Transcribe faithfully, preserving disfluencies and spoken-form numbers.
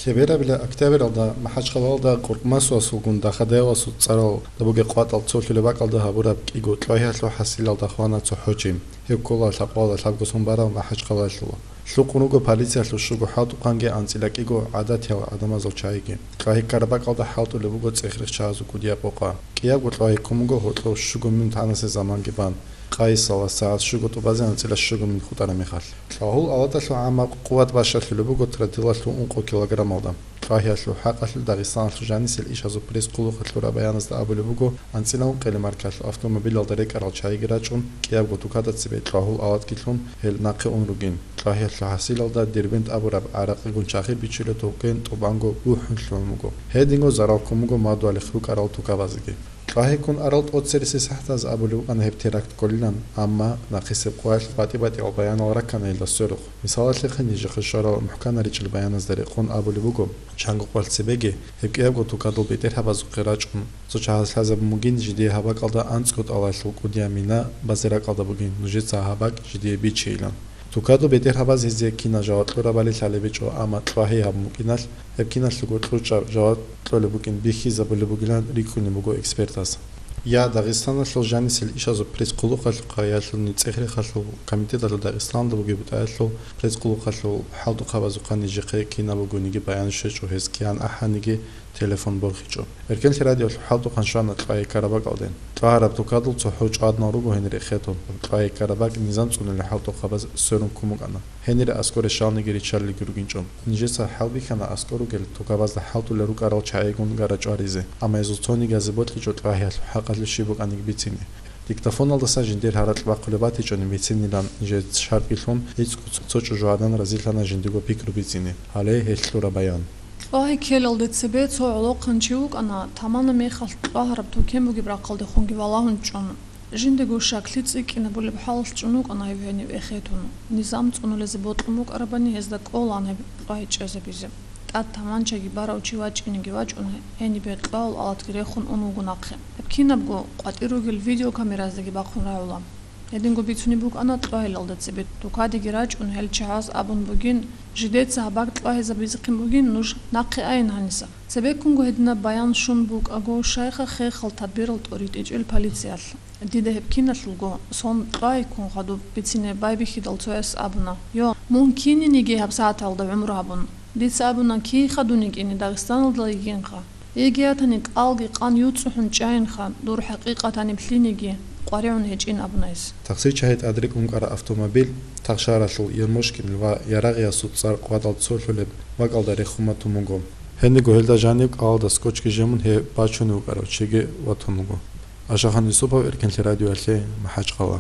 Лъеберабила октябралда МахӀачхъалалда Къуркъмасуасулгун Дахадаевасул цӀаралда бугеб къватӀал цолъулеб бакӀалда гьабураб кӀиго кьвагьиялъул хӀасилалда хвана цохӀо чи. Гьев ккола лъабкъоялда лъабго сон барав МахӀачхъалалъув. Лъукъун руго полициялъул щуго хӀалтӀухъанги анцӀила кӀиго гӀадатиял гӀадамазул чагӀиги. Кьвагьи ккараб бакӀалда хӀалтӀулеб буго цӀех-рех чагӀазул кӀудияб къокъа. КӀиябго кьвагьи ккун буго гьоркьов щуго минут гьанасе заманги бан, къайисалда сагӀат щуго тӀубазе анцӀила щуго минут хутӀараб мехалъ. Кьвагьул алаталъул гӀаммаб къуват бащалъулеб буго тротилалъул ункъо килограммалда. Кьвагьиялъул хӀакъалъулъ Дагъистаналъул жанисел ишазул пресс-къулухъалъ лъураб баяназда абулеб буго, анцӀила ункъелеб маркалъул автомобилалда рекӀарал чагӀиги рачӀун, кӀиябго тукада цебе кьвагьул алатги лъун, гьел нахъе ун ругин. Кьвагьиялъул хӀасилалда Дербент абураб гӀаракъигун чагӀи бичулеб токен тӀубанго бухӀун лъугӀун буго. Гьединго зарал ккун буго мадугьалихъ рукӀарал тукабазеги. Кьвагьи ккун арал тӀоцереси сахӀатаз абулеб букӀана гьеб теракт кколилан, амма нахъисеб къоялъ батӀи-батӀиял баянал раккана гьелда сверухъ. Мисалалъехъе, нижехъе щварал мухӀканаричӀел баяназда рекъон абулеб буго, чанго къвалъ цебеги гьеб кӀиябго тукадул бетӀергьабазухъе рачӀун, цо чагӀаз лъазабун бугин, жидее гьаб бакӀалда анцӀго тӀалалъул кӀудияб мина базе ракӀалда бугин, нужеца гьаб бакӀ жидее бичейилан. Тукадул бетӀергьабаз гьезие кинал жаваб кьурабали лъалеб гьечӀо, амма кьвагьи гьабун букӀиналъ, гьеб киналъулго кьучӀаб жаваб кьолеб букӀин бихьизабулеб бугилан рикӀкӀунеб буго экспертаз. Я Дагъистаналъул жанисел ишазул пресс-къулухъалъухъа, я лъугьунел цӀех-рехалъул комитеталъул Дагъистаналда бугеб бутӀаялъул пресс-къулухъалъул хӀалтӀухъабазухъа нижехъе кинаб бугониги баян щвечӀо, гьез кигӀан ахӀаниги телефон борхичӀо. Эркенлъи радиоялъул хӀалтӀухъан щвана кьвагьи ккараб бакӀалде. Кьвагьараб тукадул цохӀо чӀваднал руго гьенир эхетун. Кьвагьи ккараб бакӀ низам цӀунулел хӀалтӀухъабаз сверун ккун букӀана. Гьенире аскӀоре щалниги риччалелги ругинчӀо. Нижеца хӀалбихьана аскӀор ругел тукабазда хӀалтӀулел рукӀарал чагӀигун гара чӀваризе, амма гьезул цониги гьазе бокьичӀо кьвагьиялъул хӀакъалъулъ щиб букӀаниги бицине. Диктофоналдаса жиндир гьаракь бахъулеб батичӀони бицинилан нижеца шартӀги лъун, гӀицӀго цо чӀужугӀадан разилъана жиндирго пикру бицине. Гьале гьелъ лъура баян. Кьвагьи ккелалде цебе цо гӀолохъанчи вукӀана, таманаб мехалъ кьвагьараб токен бугеб рахъалдехунги валагьун чӀун. Жиндего щаклъи цӀикӀкӀинабулеб хӀалалъ чӀун вукӀана гьев гьенив эхетун. Низам цӀунулезе бокьун букӀарабани гьезда кӀолаан гьеб кьвагьи чӀезабизе. ТӀад таманчаги барав чи вачӀинеги вачӀун, гьенибе кьвагьул алатги рехун ун вуго нахъе. Гьеб кинабго къватӀир ругел видеокамераздаги бахъун рагӀула. Гьединго бицунеб букӀана кьвагьилалда цебе тукадеги рачӀун гьел чагӀаз абун бугин, жидеца гьаб бакӀ кьвагьизабизехъин бугин, нуж нахъе айин гьаниса. Цебеккунго гьединаб баян щун букӀаго, щайха хехал тадбирал тӀоритӀичӀел полициялъ. Дида гьеб киналъулго сон кьвагьи ккун хадуб бицине байбихьидал цояс абуна: «Йо, мун кининиги гьабсагӀаталда гӀумру гьабун». Дица абуна: «Кийха дун йикӀине, Дагъистаналда йигинха. Йигиятани кӀалги къан юцӀухӀун чӀайинха, дур хӀакъикъатаниб лъиниги къваригӀун гьечӀин», — абуна гьес. Тахсир чагьи тӀадрекӀун ккараб автомобиль Тахшаралъул Ермошкин ва Ярагъиясул цӀар къватӀал цолъулеб бакӀалда рехун батун буго. Гьениго гьелда жаниб кӀалалда скотчги жемун гьеб бачунев вукӀарав чиги ватун вуго. Ашахан Юсупов, Эркенлъи радиоялъе, МахӀачхъала.